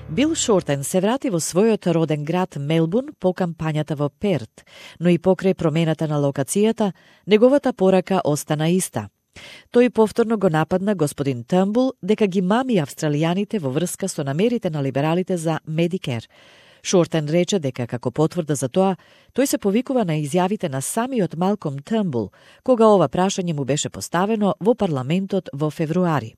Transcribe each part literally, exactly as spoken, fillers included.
Бил Шортен се врати во својот роден град Мелбурн по кампањата во Перт, но и покрај промената на локацијата, неговата порака остана иста. Тој повторно го нападна господин Тумбул дека ги мами австралијаните во врска со намерите на либералите за Медикер. Шортен рече дека како потврда за тоа, тој се повикува на изјавите на самиот Малком Тумбул, кога ова прашање му беше поставено во парламентот во февруари.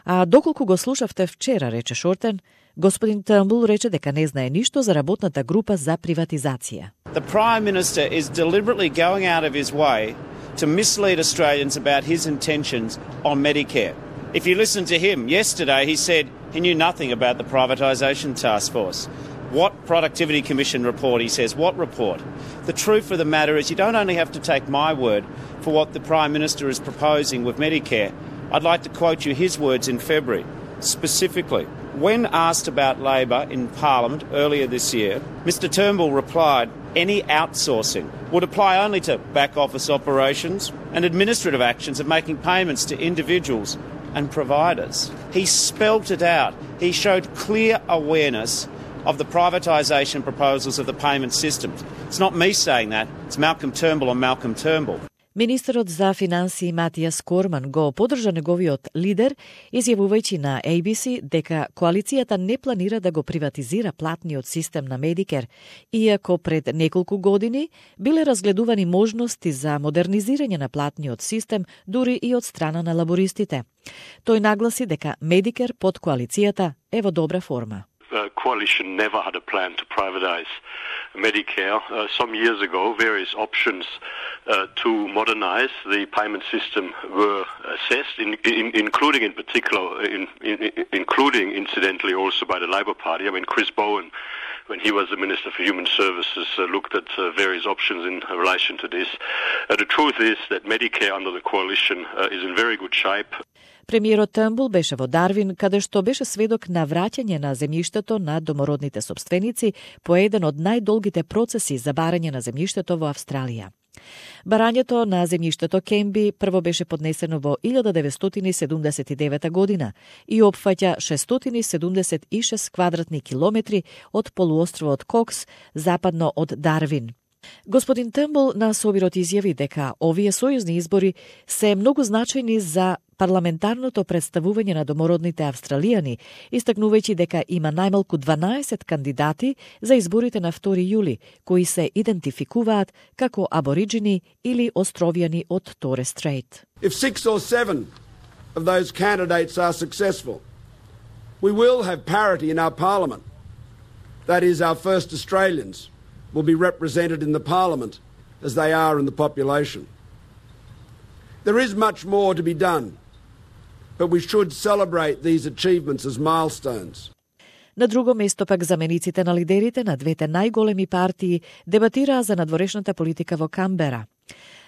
А доколку го слушавте вчера, рече Шортен, господин Тумбул рече дека не знае ништо за работната група за приватизација. The Prime Minister is deliberately going out of his way to mislead Australians about his intentions on Medicare. If you listen to him, yesterday he said he knew nothing about the privatisation task force. What Productivity Commission report, he says, what report? The truth of the matter is you don't only have to take my word for what the Prime Minister is proposing with Medicare. I'd like to quote you his words in February, specifically. When asked about Labor in Parliament earlier this year, Mr Turnbull replied, any outsourcing would apply only to back office operations and administrative actions of making payments to individuals and providers. He spelt it out. He showed clear awareness of the privatisation proposals of the payment systems. It's not me saying that, it's Malcolm Turnbull and Malcolm Turnbull. Министерот за финансии Матијас Корман го поддржа неговиот лидер, изјавувајќи на A B C дека коалицијата не планира да го приватизира платниот систем на Медикер, иако пред неколку години биле разгледувани можности за модернизирање на платниот систем дури и од страна на лабористите. Тој нагласи дека Медикер под коалицијата е во добра форма. The coalition never had a plan to privatize Medicare. Uh, some years ago, various options uh, to modernize the payment system were assessed, in, in, including in particular, in, in, including incidentally also by the Labor Party. I mean, Chris Bowen, when he was the Minister for Human Services, uh, looked at uh, various options in relation to this. Uh, the truth is that Medicare under the coalition uh, is in very good shape. Премиерот Тумбул беше во Дарвин, каде што беше сведок на враќање на земјиштето на домородните сопственици по еден од најдолгите процеси за барање на земјиштето во Австралија. Барањето на земјиштето Кемби прво беше поднесено во илјада деветстотини седумдесет и девета година и опфаќа шестстотини седумдесет и шест квадратни километри од полуостровот Кокс, западно од Дарвин. Господин Тумбул на собирот изјави дека овие сојузни избори се многу значајни за парламентарното представување на домородните австралијани, истакнувајќи дека има најмалку дванаесет кандидати за изборите на втори јули, кои се идентификуваат како абориджини или островјани од Торе Стрейт. If six or seven of those candidates are successful, we will have parity in our parliament. That is, our first Australians will be represented in the parliament as they are in the population. There is much more to be done, but we should celebrate these achievements as milestones. На друго место пак замениците на лидерите на двете најголеми партии дебатираа за надворешната политика во Камбера.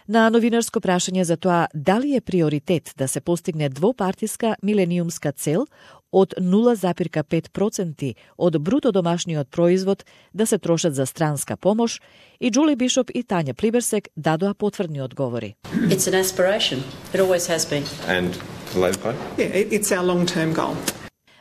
На новинарско прашање за тоа дали е приоритет да се постигне двопартиска милениумска цел од нула запир пет проценти од бруто домашниот производ да се трошат за странска помош, и Джули Бишоп и Тања Плиберсек дадоа потврдни одговори. It's an aspiration. It always has been. And the Labor Party? Yeah, it's our long-term goal.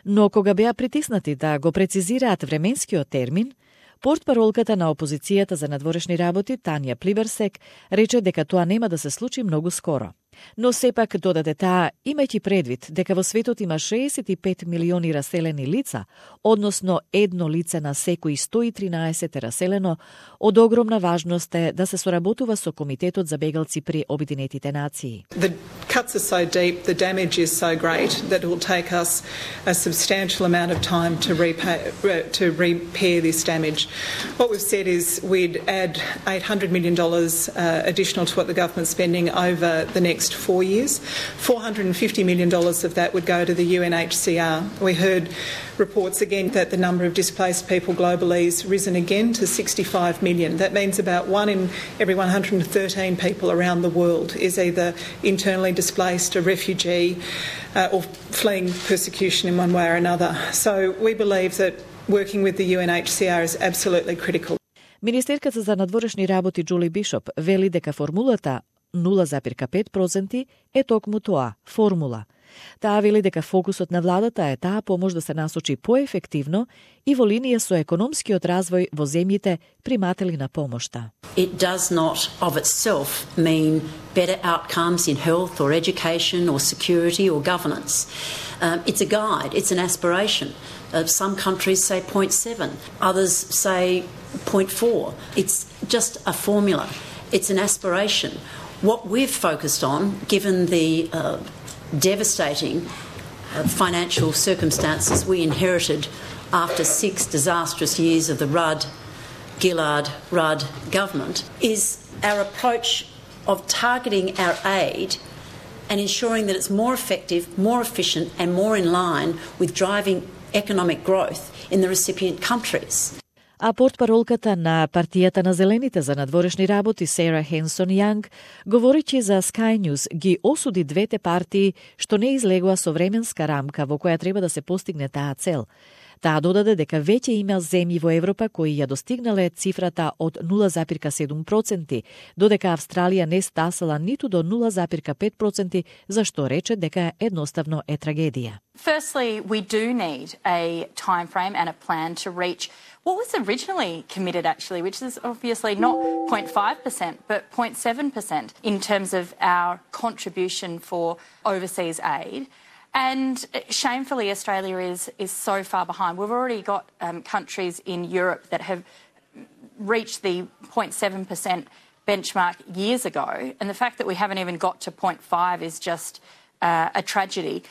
Но кога беа притиснати да го прецизираат временскиот термин, портпаролката на опозицијата за надворешни работи Тања Плиберсек рече дека тоа нема да се случи многу скоро. Но сепак додаде таа, имајќи предвид дека во светот има шеесет и пет милиони раселени лица, односно едно лице на секои сто и тринаесет е раселено, од огромна важност е да се соработува со Комитетот за бегалци при Обединетите нации. The cuts are so deep, the damage is so great that it will take us a substantial amount of time to repay, to repair this damage. What we've said is we'd add eight hundred million dollars uh, additional to what the government's spending over the next four years. four hundred fifty million dollars of that would go to the U N H C R. We heard reports again that the number of displaced people globally has risen again to sixty-five million. That means about one in every one hundred thirteen people around the world is either internally displaced, a refugee, uh, or fleeing persecution in one way or another. So we believe that working with the U N H C R is absolutely critical. Министерката за надворешни работи Джули Бишоп вели дека формулата нула запир пет проценти е токму тоа, формула. Таа вели дека фокусот на владата е таа помош да се насочи поефективно и во линија со економскиот развој во земјите приматели на помошта. It does not of itself mean better outcomes in health or education or security or governance. Um, it's a guide, it's an aspiration. Uh, some countries say zero point seven, others say zero point four. It's just a formula. It's an aspiration. What we've focused on, given the uh, devastating uh, financial circumstances we inherited after six disastrous years of the Rudd, Gillard, Rudd government, is our approach of targeting our aid and ensuring that it's more effective, more efficient and more in line with driving economic growth in the recipient countries. А портпаролката на партијата на Зелените за надворешни работи Сара Хенсон Јанг, говорејќи за Sky News, ги осуди двете партии што не излегува со временска рамка во која треба да се постигне таа цел. Таа додаде дека веќе има земји во Европа кои ја достигнале цифрата од нула зарез седум проценти, додека Австралија не стасала ниту до нула зарез пет проценти, за што рече дека едноставно е трагедија. Firstly, we do need a time frame and a plan to reach what was originally committed, actually, which is obviously not zero point five percent, but zero point seven percent in terms of our contribution for overseas aid. And shamefully, Australia is, is so far behind. We've already got um, countries in Europe that have reached the zero point seven percent benchmark years ago, and the fact that we haven't even got to zero point five is just uh, a tragedy.